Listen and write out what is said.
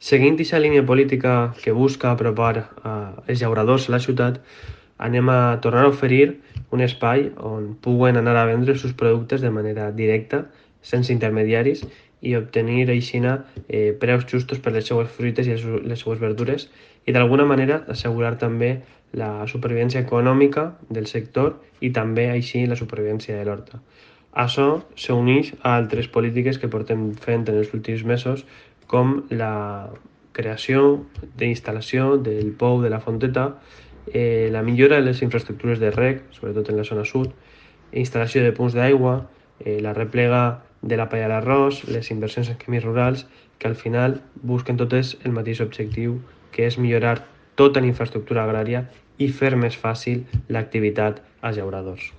Seguint aquesta línia política que busca apropar els llauradors a la ciutat, anem a tornar a oferir un espai on puguen anar a vendre els seus productes de manera directa, sense intermediaris, i obtenir aixina preus justos per les seues fruites i les seues verdures, i d'alguna manera assegurar també la supervivència econòmica del sector i també així la supervivència de l'horta. Això s'uneix a altres polítiques que portem fent en els últims mesos, com la creació d'instal·lació del pou de la Fonteta, la millora de les infraestructures de reg, sobretot en la zona sud, instal·lació de punts d'aigua, la replega de la palla d'arròs, les inversions en camins rurals, que al final busquen totes el mateix objectiu, que és millorar tota la infraestructura agrària i fer més fàcil l'activitat als llauradors.